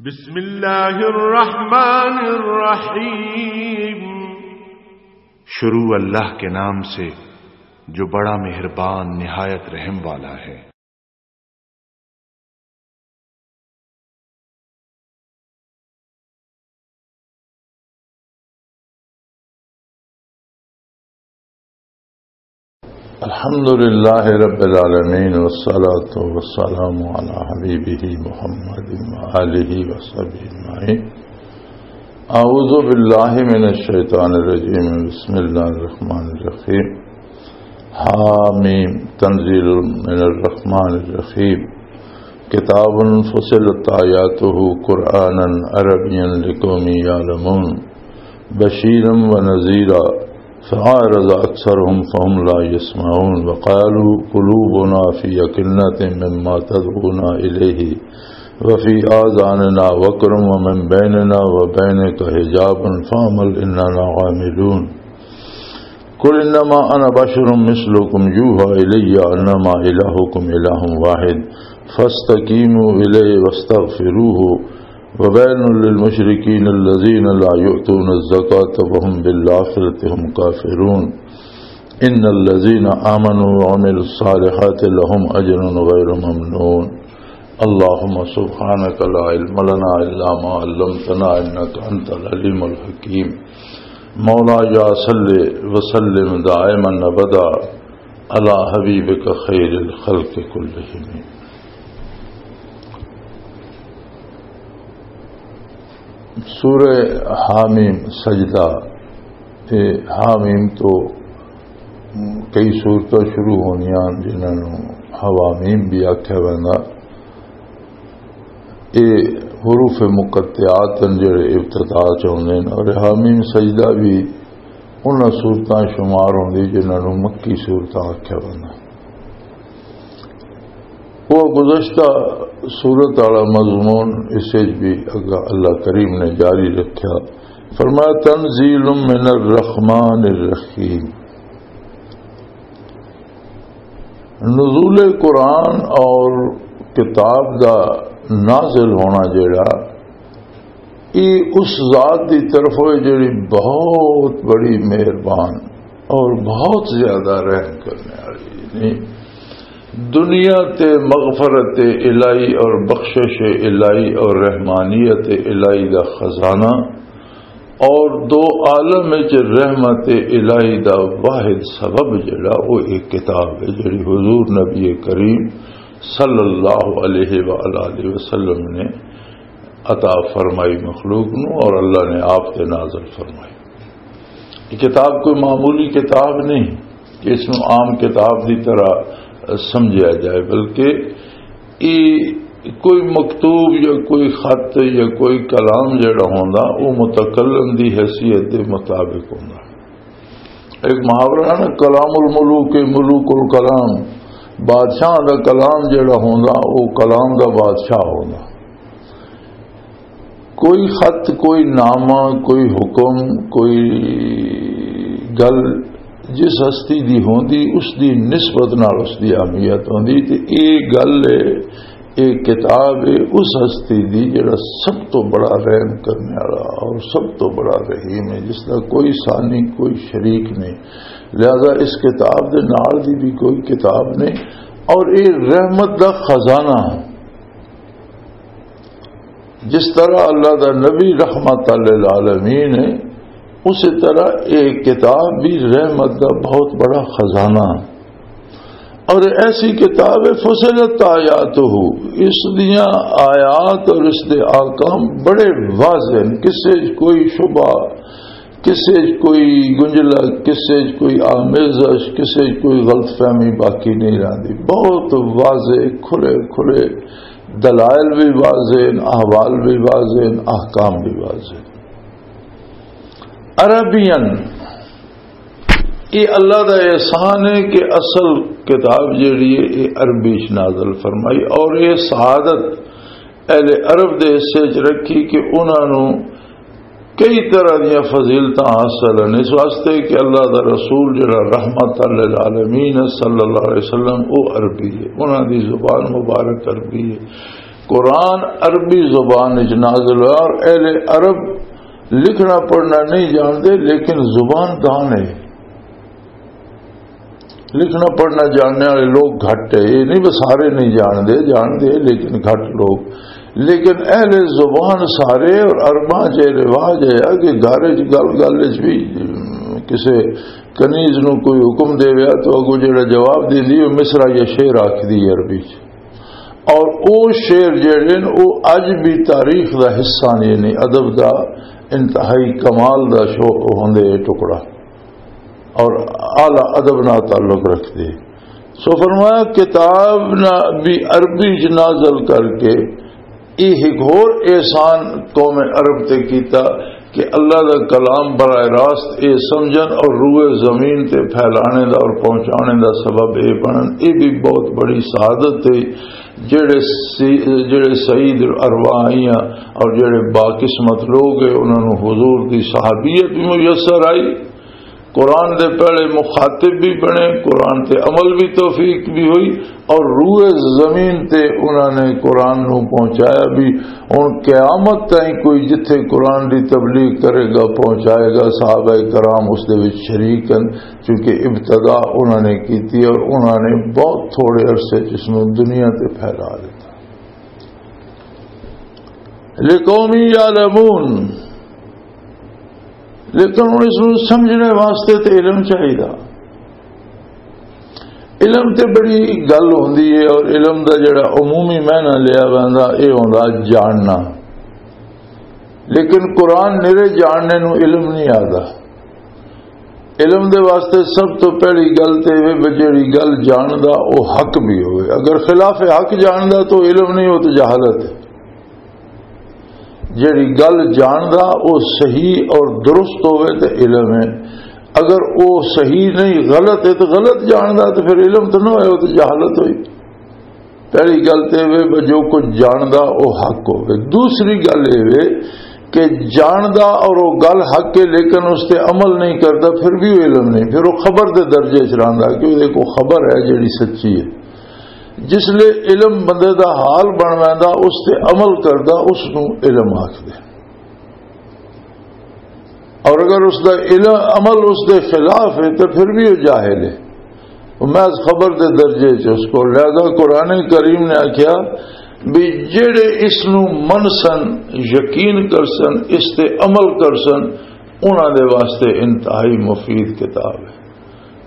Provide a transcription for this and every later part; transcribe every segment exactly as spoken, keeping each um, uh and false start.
بسم اللہ الرحمن الرحیم۔ شروع اللہ کے نام سے جو بڑا مہربان نہایت رحم والا ہے۔ الحمد لله رب العالمين، والصلاة والسلام على حبيبه محمد وآله وصحبه أجمعين. أعوذ بالله من الشيطان الرجيم. بسم الله الرحمن الرحيم. حاميم، تنزيل من الرحمن الرحيم. كتاب فصلت آياته قرآنا عربيا لقوم يعلمون. بشيرا ونذيرا، فأعرض أكثرهم فهم لا يسمعون، وقالوا قلوبنا في أكنة مما تدعونا إليه، وفي آذاننا وقر ومن بيننا وبينك حجاب فاعمل إننا عاملون. قل إنما أنا بشر مثلكم يوحى إلي أنما إلهكم إله واحد فاستقيموا إليه واستغفروه وويل للمشركين الذين لا يؤتون الزكاة وهم بالآخرة هم كافرون. إن الذين آمنوا وعملوا الصالحات لهم أجر غير ممنون. اللهم سبحانك لا علم لنا إلا ما علمتنا إنك أنت العليم الحكيم. مولاي صل وسلم دائما أبدا على حبيبك خير الخلق كلهم. سورہ حامیم سجدہ، یہ حامیم تو کئی سورتاں شروع ہونیاں جنہاں نوں حوامیم بھی آکھیا ویندا۔ یہ حروف مقطعات ہیں جڑے ابتدا چ ہوندے نے، اور حامیم سجدہ بھی انہاں سورتاں شمار ہوندی جنہاں نوں مکی سورتاں آکھیا ویندا۔ وہ گزشتہ سورت والا مضمون اس وچ بھی اگا اللہ کریم نے جاری رکھیا۔ فرمایا، تنزیل من الرحمن الرحیم۔ نزول قرآن اور کتاب دا نازل ہونا جڑا، یہ اس ذات دی طرف ہوئے جڑی بہت بڑی مہربان اور بہت زیادہ رحم کرنے والی ہے۔ دنیا تے مغفرت الہی اور بخشش الہی اور رحمانیت الہی دا خزانہ اور دو عالم وچ رحمت الہی دا واحد سبب جڑا، وہ ایک کتاب ہے جڑی حضور نبی کریم صلی اللہ علیہ وآلہ وسلم نے عطا فرمائی مخلوق نو اور اللہ نے آپ تے نازل فرمائی۔ یہ کتاب کوئی معمولی کتاب نہیں کہ اس نو عام کتاب دی طرح سمجھا جائے، بلکہ یہ کوئی مکتوب یا کوئی خط یا کوئی کلام جڑا ہوندا، وہ متکلم دی حیثیت دے مطابق ہوندا۔ ایک محاورہ ہے نا، کلام الملوک ملوک الکلام، بادشاہ دا کلام جڑا ہوندا، وہ کلام دا بادشاہ ہوندا۔ کوئی خط، کوئی نامہ، کوئی حکم، کوئی گل جس ہستی دی ہوندی، اس دی نسبت نال اس دی اہمیت ہوندی۔ تے اے گل ہے، اے کتاب ہے اس ہستی دی جڑا سب تو بڑا رحم کرنے والا اور سب تو بڑا رحیم ہے، جس دا کوئی ثانی، کوئی شریک نہیں۔ لہذا اس کتاب دے نال دی بھی کوئی کتاب نہیں، اور اے رحمت دا خزانہ ہے۔ جس طرح اللہ دا نبی رحمت للعالمین ہے، اسی طرح ایک کتاب بھی رحمت دا بہت بڑا خزانہ ہے۔ اور ایسی کتاب ہے، فصلت آیاتہ، اس دیاں آیات اور اس دے احکام بڑے واضح ہیں، کسے کوئی شبہ، کسے کوئی گنجلک، کسے کوئی آمیزش، کسے کوئی غلط فہمی باقی نہیں رہندی۔ بہت واضح، کھلے کھلے دلائل بھی واضح ہیں، احوال بھی واضح ہیں، احکام بھی واضح ہیں۔ عربین، یہ اللہ دا احسان ہے کہ اصل کتاب جیڑی ہے، یہ عربی چ نازل فرمائی، اور یہ سعادت اہل عرب دے حصے چ رکھی کہ انہاں نوں کئی طرح دیاں فضیلتاں حاصل ہیں، اس واسطے کہ اللہ دا رسول جڑا رحمت للعالمین ہے صلی اللہ علیہ وسلم، وہ عربی ہے، انہاں دی زبان مبارک عربی ہے۔ قرآن عربی زبان وچ نازل ہوا اور اہل عرب لکھنا پڑھنا نہیں جانتے، لیکن زبان دان ہے۔ لکھنا پڑھنا جاننے والے لوگ گھٹ ہے، یہ نہیں بس سارے نہیں جانتے، جانتے لیکن گھٹ لوگ۔ لیکن اہل زبان سارے، اور عرباں چ رواج ہے کہ گھر وچ گل گل وچ بھی کسے کنیز نو کوئی حکم دے ویا تو اگو جڑا جواب دیندی، وہ مصرع یا شعر آکھدی ہے عربی چ۔ اور او شعر جڑے نے، او اج بھی تاریخ دا حصہ نے، یعنی ادب دا انتہائی کمال دا شو ہوندے اے ٹکڑا، اور اعلی ادب نال تعلق رکھدے۔ سو فرمایا، کتاب نہ بھی عربی چ نازل کر کے یہ ایک ہور احسان قوم عرب تے کیتا کہ اللہ دا کلام براہ راست اے سمجھن اور روئے زمین تے پھیلانے دا اور پہنچانے دا سبب اے بنن۔ اے بھی بہت بڑی سعادت ہے۔ جڑے سی-، جڑے سعید الارواح آئیاں اور جڑے باقسمت لوگ ہیں، انہاں نوں حضور دی صحابیت بھی میسر آئی، قرآن دے پہلے مخاطب بھی بنے، قرآن تے عمل بھی توفیق بھی ہوئی، اور روئے زمین تے انہاں نے قرآن نو پہنچایا بھی۔ ہن قیامت تائیں کوئی جتھے قرآن دی تبلیغ کرے گا، پہنچائے گا، صحابہ کرام اس دے وچ شریک ہیں، کیونکہ ابتدا انہاں نے کیتی اور انہاں نے بہت تھوڑے عرصے چ اس نو دنیا تے پھیلا دیتا۔ لقوم یعلمون، لیکن ہن اس نوں سمجھنے واسطے تے علم چاہیدا۔ علم تے بڑی گل ہوندی ہے، اور علم دا جڑا عمومی معنی لیا ویندا، اے ہوندا جاننا۔ لیکن قرآن نرے جاننے نوں علم نہیں آدا۔ علم دے واسطے سب تو پہلی گل تے ایویں بھی جڑی گل جاندا، او حق بھی ہوئے۔ اگر خلاف حق جاندا تو علم نہیں، او تو جہالت ہے۔ جڑی گل جاندا او صحیح اور درست ہوئے تے علم ہے۔ اگر او صحیح نہیں، غلط ہے، تو غلط جاندا تو پھر علم تو نہ ہوئے، او تو جہالت ہوئی۔ پہلی گل تے وے جو کچھ جاندا او حق ہوئے۔ دوسری گل اے وے کہ جاندا اور او گل حق ہے، لیکن اس تے عمل نہیں کردا، پھر بھی او علم نہیں، پھر او خبر دے درجے چ رہندا کہ او کو خبر ہے جڑی سچی ہے۔ جس لے علم بندے دا حال بن ویندا، اس تے عمل کردا، اس نوں علم آکھدے۔ اور اگر اس دا علم، عمل اس دے خلاف ہے تو پھر بھی وہ جاہل ہے، وہ محض خبر دے درجے چ اس کو۔ لہذا قرآن کریم نے آکھیا بھی جڑے اس نو من سن، یقین کر سن، اس تے عمل کر سن، انہاں دے واسطے انتہائی مفید کتاب ہے۔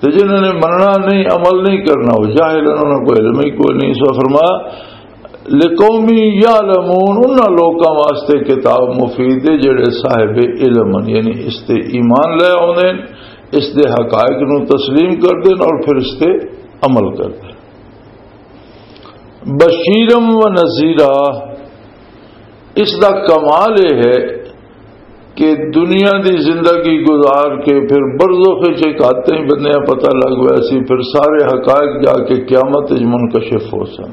تے جنہاں نے مننا نہیں، عمل نہیں کرنا، وہ جاہل ہیں، انہاں کو علم ہی کوئی نہیں۔ سو فرمایا، لقوم یعلمون، انہاں لوکاں واسطے کتاب مفید ہے جڑے صاحب علم ہیں، یعنی اس تے ایمان لے آوندے ہیں، اس دے حقائق نو تسلیم کردے ہیں اور پھر اس تے عمل کردے ہیں۔ بشیرم و نذیرہ، اس دا کمال یہ ہے کہ دنیا دی زندگی گزار کے پھر برزخ وچ ایک آتے ہی بندیاں پتہ لگ گیا سی، پھر سارے حقائق جا کے قیامت وچ منکشف ہو سن۔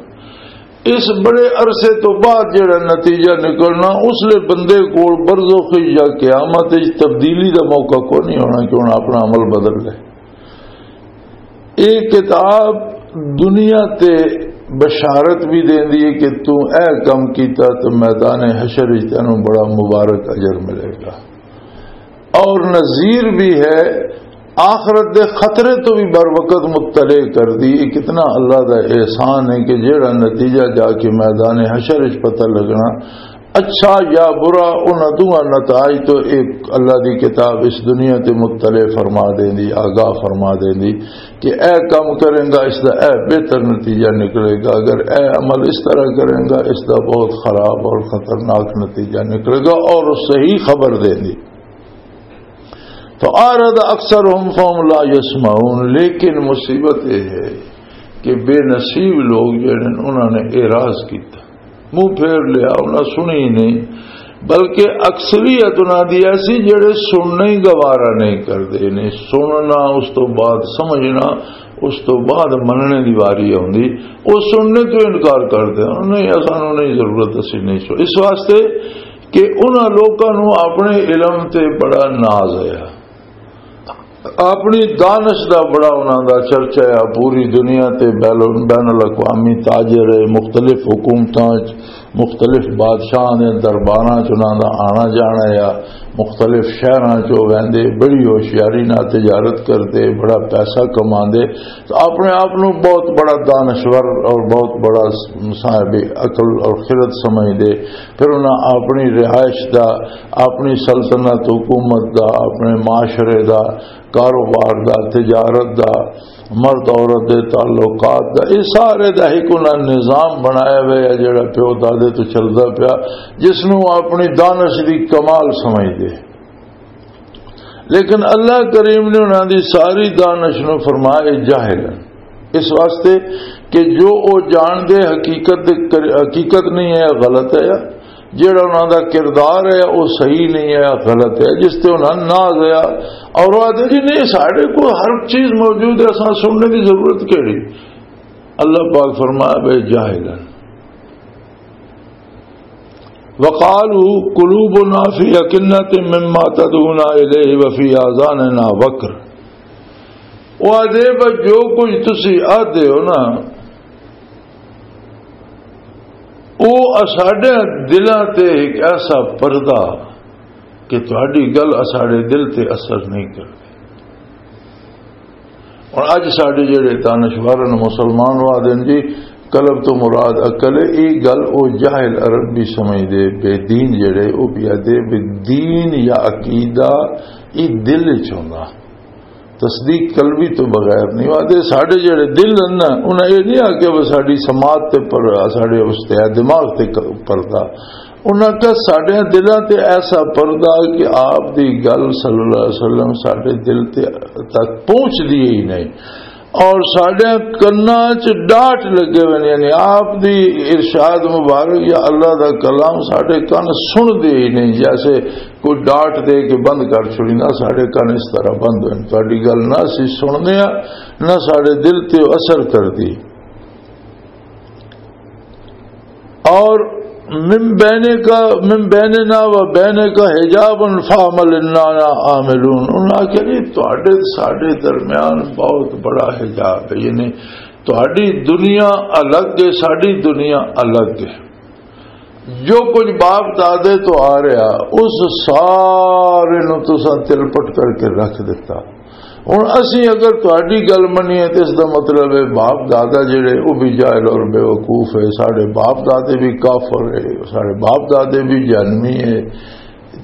اس بڑے عرصے تو بعد جڑا نتیجہ نکلنا، اس لئے بندے کول برزخ وچ یا قیامت وچ تبدیلی دا موقع کوئی نہیں ہونا کہ انہاں اپنا عمل بدل لے۔ یہ کتاب دنیا تے بشارت بھی دیندی ہے کہ تو اے کم کیتا تو میدان حشر وچ تینوں بڑا مبارک اجر ملے گا۔ اور نذیر بھی ہے، آخرت دے خطرے تو بھی بر وقت مطلع کر دی۔ یہ کتنا اللہ دا احسان ہے کہ جڑا نتیجہ جا کے میدان حشر وچ پتہ لگنا، اچھا یا برا، انہاں دوہاں نتائج تو ایک اللہ دی کتاب اس دنیا تے مطلع فرما دیندی، آگاہ فرما دیندی کہ اے کم کریں گا، اس دا اے بہتر نتیجہ نکلے گا، اگر اے عمل اس طرح کریں گا، اس دا بہت خراب اور خطرناک نتیجہ نکلے گا، اور صحیح خبر دیندی۔ تو اعرض اکثرهم فهم لا يسمعون، لیکن مصیبت یہ ہے کہ بے نصیب لوگ جڑے نے، انہاں نے اعراض کیتا، منہ پھیر لیا، انہاں سنی ہی نہیں، بلکہ اکثریت انہاں دی ایسی جڑے سننا ہی گوارا نہیں کردے نے۔ سننا، اس تو بعد سمجھنا، اس تو بعد مننے دی واری آوندی، وہ سننے تو انکار کردے، نہیں، سانوں نہیں ضرورت، اسی نہیں سو۔ اس واسطے کہ انہاں لوکاں نوں اپنے علم تے بڑا ناز آیا۔ اپنی دانش دا بڑا انہاں دا چرچا ہے، پوری دنیا تے بین بین الاقوامی تاجر ہے، مختلف حکومتاں وچ، مختلف بادشاہاں دے درباراں چ انہاں دا آنا جانا ہے، مختلف شہراں چ او ویندے، بڑی ہوشیاری نال تجارت کردے، بڑا پیسہ کماندے۔ تو اپنے آپ نو بہت بڑا دانشور اور بہت بڑا صاحب عقل اور خرد سمجھدے۔ پھر انہاں اپنی رہائش دا، اپنی سلطنت حکومت دا، اپنے معاشرے دا، کاروبار دا، تجارت دا، مرد عورت دے تعلقات دا، یہ سارے دا ایک انہاں نظام بنایا ہوا ہے جڑا پیو دادے تو چلدا پیا، جس نو اپنی دانش دی کمال سمجھدے۔ لیکن اللہ کریم نے انہاں دی ساری دانش نو فرمایا جاہل، اس واسطے کہ جو او جان دے حقیقت دے کر-، حقیقت نہیں ہے، غلط ہے، جڑا انہاں دا کردار ہے، او صحیح نہیں ہے، غلط ہے، جس تے انہاں ناز ہے۔ اور وہ آدھے، "جی نہیں، ساڈے کو ہر چیز موجود ہے، اساں سننے دی ضرورت کیڑی؟" اللہ پاک فرمایا، "بے جاہل ہیں۔" وقالوا قلوبنا فی اکنۃ مما تدعونا الیہ وفی آذاننا وقر۔ وہ آدھے، "بس جو کچھ تسی آدھے ہو نا، او اساڈے دلاں تے ایک ایسا پردہ کہ تہاڈی گل اساڈے دل تے اثر نہیں کردی۔" اور اج ساڈے جڑے دانشور نے مسلمان وا دین جی، قلب تو مراد عقل ہے، یہ گل او جاہل عرب بھی سمجھدے، بے دین جڑے او بھی آدھے بے دین یا عقیدہ یہ دل وچ ہوندا۔ تصدیق قلبی تو بغیر نہیں۔ وہ آدھے ساڈے جڑے دل ہیں نا، انہاں یہ نہیں آکھیا وہ ساڈی سماعت تے پر، ساڈے اس تے دماغ تے ک-، پردہ۔ انہاں کا ساڈے دلاں تے ایسا پردہ کہ آپ دی گل صلی اللہ علیہ وسلم ساڈے دل تے تک پہنچ دی ہی نہیں۔ اور ساڈے کناں چ ڈاٹ لگے ہوئے نے، یعنی آپ دی ارشاد مبارک یا اللہ دا کلام ساڈے کن سن دے ہی نہیں، جیسے کوئی ڈاٹ دے کے بند کر چھڑی نا، ساڈے کن اس طرح بند ہوئے۔ تہاڈی گل نہ اسی سننے آ، نہ ساڈے دل تے اثر کردی۔ اور من بین کا، من بیننا و بین کا حجاب فاعمل اننا عاملون۔ انہاں آکھیا جی تہاڈے ساڈے درمیان بہت بڑا حجاب ہے، یعنی تہاڈی دنیا الگ ہے، ساڈی دنیا الگ ہے۔ جو کچھ باپ دادے تو آ رہا، اس سارے نو تساں تلپٹ کر کے رکھ دیتا۔ ہن اسی اگر تہاڈی گل منیے تے اس دا مطلب ہے باپ دادا جڑے او بھی جاہل اور بے وقوف ہے، ساڈے باپ دادے بھی کافر ہے، ساڈے باپ دادے بھی جہنمی ہے۔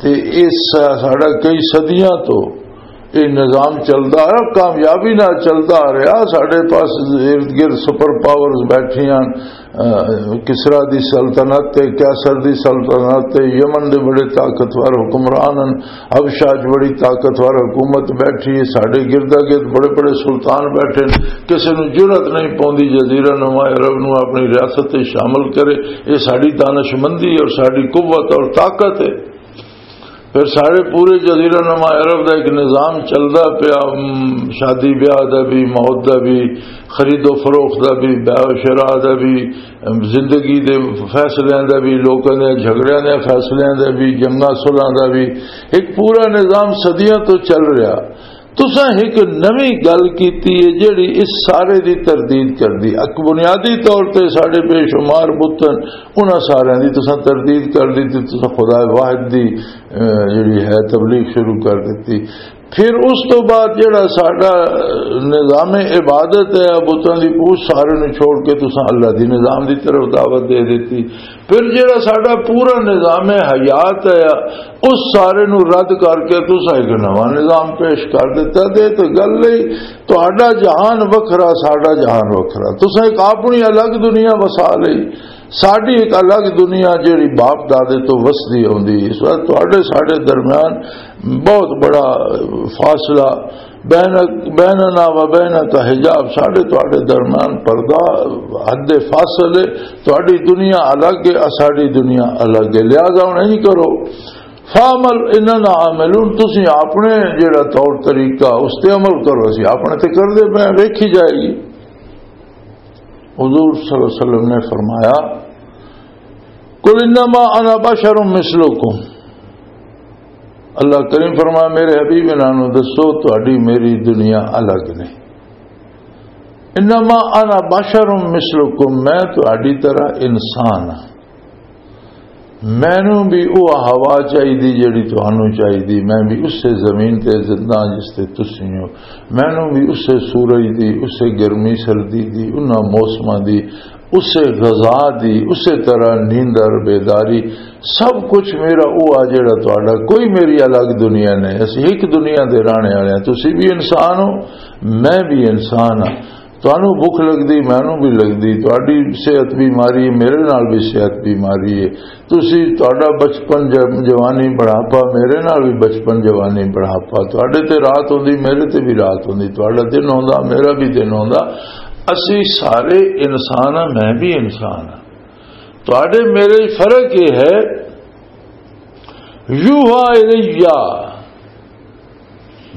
تے اس ساڈا کئی صدیاں تو یہ نظام چلدا آ رہا، کامیابی نال چلدا آ رہا۔ ساڈے پاس ارد گرد سپر پاورز بیٹھیاں، اہ، کسرا دی سلطنت تے، قیصر دی سلطنت تے، یمن دے بڑے طاقتور حکمران ہن، حبشہ وچ بڑی طاقتور حکومت بیٹھی ہے، ساڈے گردا گرد بڑے بڑے سلطان بیٹھے نے۔ کسے نوں جرأت نہیں پوندی جزیرہ نما عرب نوں اپنی ریاست تے شامل کرے۔ یہ ساڈی دانشمندی اور ساڈی قوت اور طاقت ہے۔ پھر سارے پورے جزیرہ نما عرب دا ایک نظام چلدا پیا، ام، شادی بیاہ دا بھی، موت دا بھی، خرید و فروخت دا بھی، بیع و شراء دا بھی، ام، زندگی دے فیصلیاں دا بھی، لوکاں دے جھگڑیاں دے فیصلیاں دا بھی، جنگاں صلحاں دا بھی۔ ایک پورا نظام صدیاں تو چل رہا۔ تساں ایک نویں گل کیتی ہے جیڑی اس سارے دی تردید کردی۔ ایک بنیادی طور تے ساڈے بے شمار بتن، انہاں سارے دی تساں تردید کر دتی، تساں خدا واحد دی، اہ، جیڑی ہے تبلیغ شروع کر دتی۔ پھر اس تو بعد جیڑا ساڈا نظام عبادت ہے بتاں دی، اس سارے نوں چھوڑ کے تساں اللہ دی نظام دی طرف دعوت دے دتی۔ پھر جیڑا ساڈا پورا نظام حیات ہے، اس سارے نوں رد کر کے تساں ایک نواں نظام پیش کر دتا۔ تے تو گل ہی تہاڈا جہان وکھرا، ساڈا جہان وکھرا۔ تساں ایک اپنی الگ دنیا وسا لئی، ساڈی ایک الگ دنیا جیڑی باپ دادے تو وسدی آوندی۔ اس وقت تہاڈے ساڈے درمیان بہت بڑا فاصلہ، بین، بیننا و بین کا حجاب، ساڈے تہاڈے درمیان پردہ، حد فاصل ہے۔ تہاڈی دنیا الگ ہے، ساڈی دنیا الگ ہے۔ لہذا ہن انج کرو، فاعمل اننا عاملون، تسی اپنے جڑا طور طریقہ اس تے عمل کرو، اسی اپنے تے کر دے پے، ویکھی جائے گی۔ حضور صلی اللہ علیہ وسلم نے فرمایا، "قل انما انا بشر مثلکم۔" اللہ کریم فرمایا، میرے حبیب، انہاں نوں دسو، تہاڈی میری دنیا الگ نہیں۔ انما انا بشر مثلکم، میں تہاڈی طرح انسان ہاں۔ مینوں بھی وہ ہوا چاہیدی جڑی تہانوں چاہیدی، میں بھی اسے زمین تے زندہ ہاں جس تے تسی ہو۔ مینوں بھی اسے سورج دی، اسے گرمی سردی دی، انہاں موسماں دی، اسے غذا دی، اسے طرح نیندر بیداری، سب کچھ میرا وہ آ جڑا تہاڈا، کوئی میری الگ دنیا نہیں۔ اسی ایک دنیا دے رہنے والے ہیں۔ تسی بھی انسان ہو، میں بھی انسان ہاں۔ تانوں بھوک لگدی، مینوں بھی لگدی، تہاڈی صحت بیماری میرے نال بھی صحت بیماری ہے۔ تسی، تہاڈا بچپن، ج-، جوانی، بڑھاپا میرے نال بھی بچپن، جوانی، بڑھاپا۔ تہاڈے تے رات ہوندی، میرے تے بھی رات ہوندی، تہاڈا دن ہوندا، میرا بھی دن ہوندا۔ اسی سارے انسان ہاں، میں بھی انسان ہاں۔ تہاڈے میرے فرق یہ ہے، یوحا الیہ،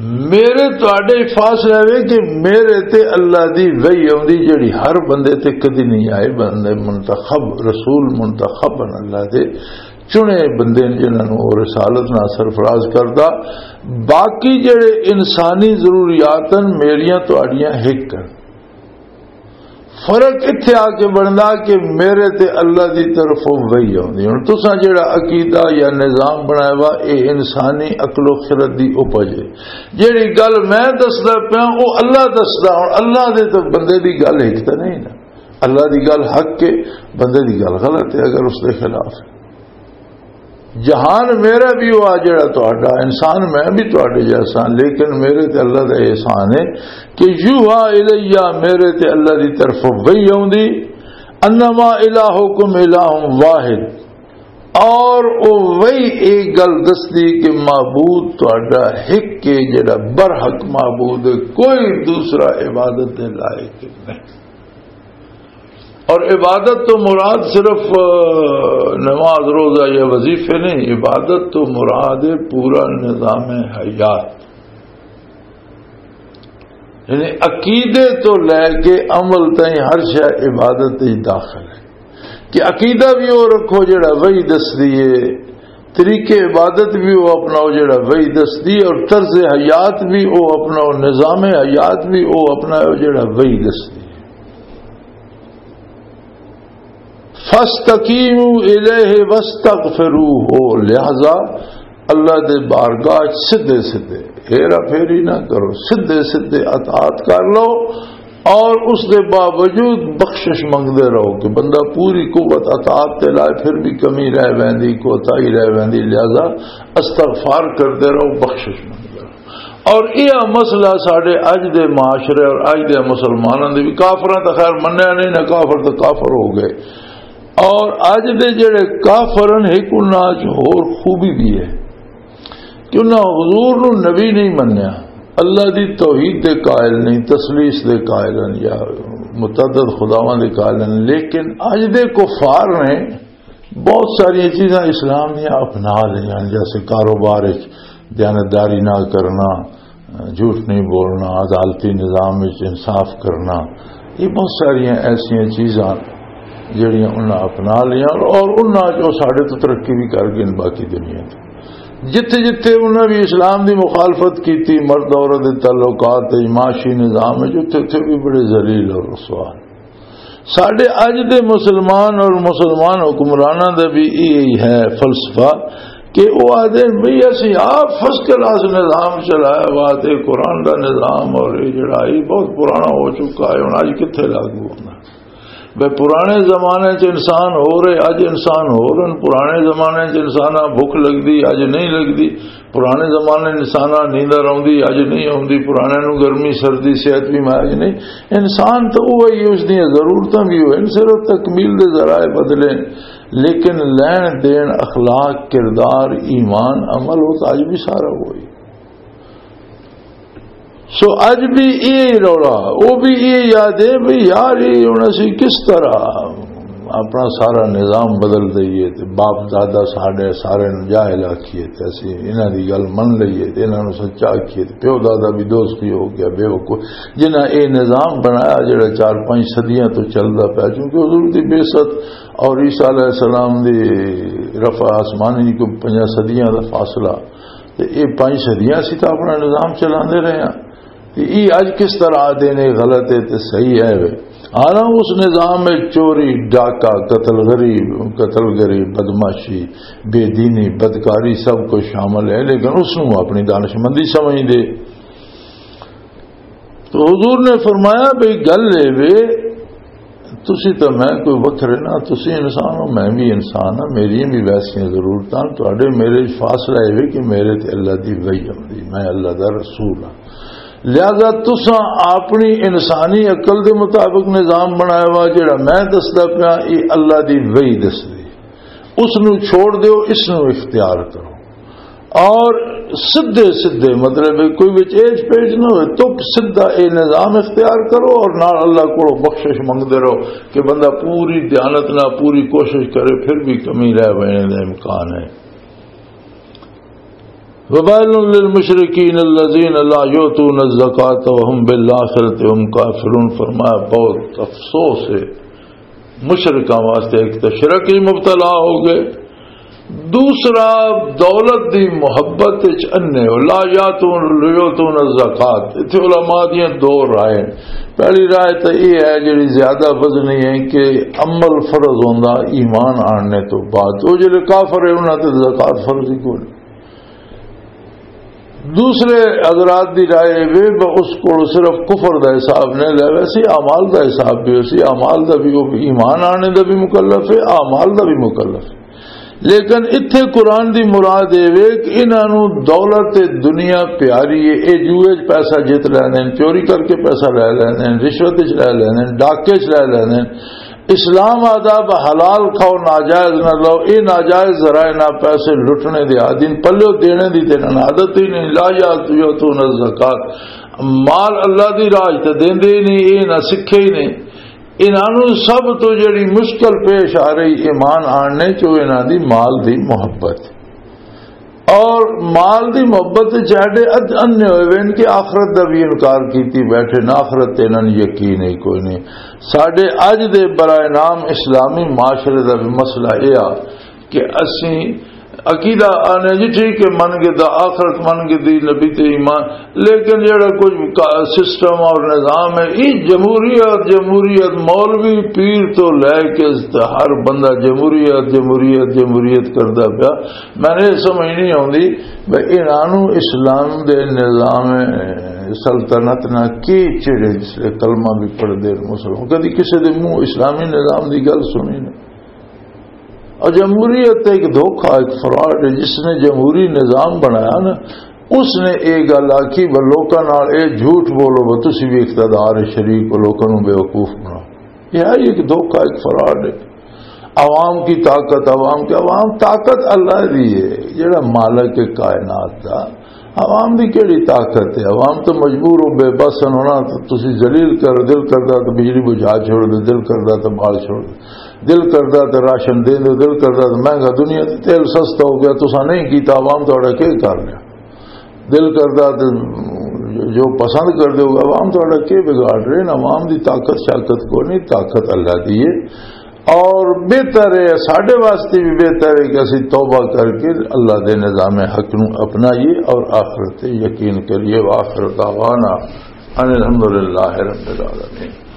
میرے تہاڈے فاصلہ ہے کہ میرے تے اللہ دی وحی آوندی، جڑی ہر بندے تے کدی نہیں آئی۔ بندے منتخب، رسول منتخب ہن، اللہ دے چنے بندے نے جنہاں نوں او رسالت نال سرفراز کردا۔ باقی جڑے انسانی ضروریات ہن، میریاں تہاڈیاں ہک ہن۔ فرق اتھے آ کے بندا کہ میرے تے اللہ دی طرفوں وحی آوندی۔ ہن تساں جڑا عقیدہ یا نظام بنایا وا، اے انسانی عقل و خرد دی اپج ہے۔ جڑی گل میں دسدا پیاں، او اللہ دسدا۔ ہن اللہ دے تے بندے دی گل ہک تے نہیں نا۔ اللہ دی گل حق ہے، بندے دی گل غلط ہے اگر اس دے خلاف ہے۔ جہان میرا بھی ہوا جڑا تہاڈا، انسان میں بھی تہاڈے جیسا، لیکن میرے تے اللہ دا احسان ہے کہ یوحا الیہ، میرے تے اللہ دی طرف وحی آوندی، انما الہکم الہ واحد، اور او وحی ایک گل دسدی کہ معبود تہاڈا ہک ہے، جڑا برحق معبود ہے، کوئی دوسرا عبادت دے لائق نہیں۔ اور عبادت تو مراد صرف، آ، نماز، روزہ یا وظیفے نہیں، عبادت تو مراد ہے پورا نظام حیات، یعنی عقیدے تو لے کے عمل تائیں ہر شے عبادت ہی داخل ہے۔ کہ عقیدہ بھی وہ رکھو جڑا وحی دس دیے، طریقے عبادت بھی وہ اپناؤ جڑا وحی دس دی، اور طرز حیات بھی وہ اپناؤ، نظام حیات بھی وہ اپناؤ جڑا وحی دس دی۔ فاستقیموا الیہ واستغفروہ، لہذا اللہ دے بارگاہ وچ سدھے سدھے ہیرا پھیری نہ کرو، سدھے سدھے اطاعت کر لو اور اس دے باوجود بخشش منگدے رہو کہ بندہ پوری قوت اطاعت تے لائے، پھر بھی کمی رہ ویندی، کوتاہی رہ ویندی، لہذا استغفار کردے رہو، بخشش منگدے رہو۔ اور یہ مسئلہ ساڈے اج دے معاشرے اور اج دے مسلماناں دے بھی، کافراں تو خیر منیا نہیں نہ، کافر تو کافر ہو گئے، اور اج دے جڑے کافر ہیں، ایک انہاں چ ہور خوبی بھی ہے کہ انہاں حضور نو نبی نہیں منیا، اللہ دی توحید دے قائل نہیں، تثلیث دے قائل ہیں یا متعدد خداواں دے قائل ہیں، لیکن اج دے کفار نے بہت ساری چیزاں اسلام دیاں اپنا لیاں، جیسے کاروبار وچ دیانتداری نہ کرنا، جھوٹ نہیں بولنا، عدالتی نظام وچ انصاف کرنا، یہ بہت ساری ایسی چیزاں جڑیاں انہاں اپنا لیاں اور انہاں جو ساڈے تو ترقی بھی کر گئے باقی دنیا تے۔ جتھے جتھے انہاں بھی اسلام دی مخالفت کیتی، مرد عورت دے تعلقات تے، معاشی نظام وچ، اتھے اتھے بھی بڑے ذلیل اور رسوا۔ ساڈے اج دے مسلمان اور مسلمان حکمراناں دا بھی یہی ہے فلسفہ کہ وہ آدھے بھئی اسی آپ فرسٹ کلاس نظام چلایا ہوا تے قرآن دا نظام اور یہ جڑا یہ بہت پرانا ہو چکا ہے، ہن اج کتھے لاگو ہونا؟ بھئی پرانے زمانے چ انسان ہو رہے، اج انسان ہو رہے، پرانے زمانے چ انساناں بھوک لگدی، اج نہیں لگدی۔ پرانے زمانے انساناں نیندر آوندی، اج نہیں آوندی۔ پرانے نوں گرمی، سردی، صحت بھی میں اج نہیں۔ انسان تو وہی، اس دیاں ضرورتاں بھی ہوئے، صرف تکمیل دے ذرائع بدلے، لیکن لین دین، اخلاق، کردار، ایمان، عمل، وہ تو اج بھی سارا وہی۔ سو اج بھی یہ رولا، وہ بھی یہ یاد ہے بھی یار، یہ ہن اسی کس طرح اپنا سارا نظام بدل دئیے تے باپ دادا ساڈے سارے نوں جاہل آکھیے تے اسی انہاں دی گل من لئیے تے انہاں نوں سچا آکھیے تے پیو دادا بھی دوست بھی ہو گیا، بے وقوف۔ جنہاں اے نظام بنایا جڑا چار پانچ صدیاں تو چلدا پیا، کیونکہ حضور دی بعثت اور عیسیٰ علیہ السلام دی رفع آسمانی کو پنجاں صدیاں دا فاصلہ، تے یہ پانچ صدیاں اسی تو اپنا نظام چلاندے رہے ہاں۔ تے یہ اج کس طرح آدھے نے غلط ہے تے صحیح ہے وے؟ حالانکہ اس نظام میں چوری، ڈاکہ، قتل غریب، قتل غریب، بدمعاشی، بے دینی، بدکاری سب کچھ شامل ہے، لیکن اس نوں اپنی دانشمندی سمجھ دے۔ تو حضور نے فرمایا، بھئی گل اے وے، تسی تے میں کوئی وکھرے نہ، تسی انسان ہو، میں بھی انسان ہاں، میری بھی ویسیاں ضرورتاں، تہاڈے میرے وچ فاصلہ اے وے کہ میرے تے اللہ دی وحی آندی، میں اللہ دا رسول ہاں۔ لہذا تساں اپنی انسانی عقل دے مطابق نظام بنایا وا، جڑا میں دسدا پیا، یہ اللہ دی وحی دسدی، اس نو چھوڑ دیو، اس نو اختیار کرو۔ اور سدھے سدھے، مطلب ہے کوئی وچ ایج پیج نہ ہوئے، تو سدھا اے نظام اختیار کرو اور نال اللہ کو بخشش منگتے رہو کہ بندہ پوری دیانت نہ، پوری کوشش کرے، پھر بھی کمی رہ بنے دا امکان ہے۔ وبال للمشرکین الذین لا یؤتون الزکاة وهم بالآخرة هم کافرون۔ فرمایا، بہت افسوس ہے مشرکاں واسطے، ایک تو شرک ہی مبتلا ہو گئے، دوسرا دولت دی محبت وچ انے ہو۔ لا یاتون، یؤتون الزکات۔ اتھے علماء دیاں دو رائے۔ پہلی رائے تو یہ ہے، جڑی زیادہ وزنی ہے، کہ عمل فرض ہوندا ایمان آنے تو بعد۔ وہ جڑے کافر ہے، انہاں تے زکات فرض ہی کوئی نہیں۔ دوسرے حضرات دی رائے وے، ب-، اس کو صرف کفر دا حساب نہیں لے، ویسے اعمال دا حساب بھی، اسی اعمال دا بھی، وہ ایمان آنے دا بھی مکلف ہے، اعمال دا بھی مکلف ہے۔ لیکن اتھے قرآن دی مراد اے وے کہ انہاں نوں دولت تے دنیا پیاری ہے، اے جوئے چ پیسہ جت لیندے نے، چوری کر کے پیسہ لے لیندے نے، رشوت چ لے لیندے نے، ڈاکے چ لے لیندے نے۔ اسلام آداب حلال کھاؤ، ناجائز نہ لو، اے ناجائز ذرائع نہ، پیسے لٹنے دے عادی نے، پلیو دینے دی تے انہاں عادت ہی نہیں۔ لا یاتون الزکات، مال اللہ دی راج تے دیندے ہی نہیں، اے نہ سکھے ہی نہیں۔ انہاں نوں سب تو جڑی مشکل پیش آ رہی ایمان آننے چو، انہاں دی مال دی محبت۔ اور مال دی محبت چ ایڈے اد-، انے ہوئے وین کہ آخرت دا بھی انکار کیتی بیٹھے نا، آخرت تے انہاں نوں یقین ہی کوئی نہیں۔ ساڈے اج دے برائے نام اسلامی معاشرے دا بھی مسئلہ یہ آ کہ اسی عقیدہ آنے جی ٹھیک ہے، من گدا آخرت، من گدی نبی تے ایمان، لیکن جڑا کچھ کا-، سسٹم اور نظام ہے، یہ جمہوریت، جمہوریت، مولوی پیر تو لے کے ہر بندہ جمہوریت، جمہوریت، جمہوریت کردا پیا۔ میں نے یہ سمجھ نہیں آتی بھئی انہاں نوں اسلام دے نظام سلطنت نہ کی چڑے، جس لے کلمہ بھی پڑھ دے مسلمان، کدی کسی دے منہ اسلامی نظام دی گل سنی نہیں۔ اور جمہوریت ایک دھوکہ، ایک فراڈ ہے۔ جس نے جمہوری نظام بنایا نا، اس نے یہ گل آکھی، وہ لوکاں نال یہ جھوٹ بولو، وہ تسی بھی اقتدار شریک ہو، لوکاں نوں بیوقوف بناؤ۔ یہ ہے ایک دھوکہ، ایک فراڈ ہے۔ عوام کی طاقت، عوام کی، عوام طاقت اللہ دی ہے، جڑا مالک ہے کائنات دا۔ عوام دی کیڑی طاقت ہے؟ عوام تو مجبور ہو، بے بس ہن، انہاں تو تسی ذلیل کر، دل کردا تو بجلی بجھا چھوڑ دے، دل کردا تو بال چھوڑ دے، دل کردا تو راشن دے دے، دل کردا تو مہنگا، دنیا تے تیل سستا ہو گیا، تساں نہیں کیتا، عوام تہاڈا کی کر لیا؟ دل کردا تو جو پسند کر دے، عوام تہاڈا کی بگاڑ رہے نا؟ عوام دی طاقت شاقت کو نہیں، طاقت اللہ دی ہے۔ اور بہتر ہے، ساڈے واسطے بھی بہتر ہے کہ اسی توبہ کر کے اللہ دے نظام حق نو اپنائیے اور آخرت تے یقین کریے۔ وآخر دعوانا ان الحمدللہ رب العالمین۔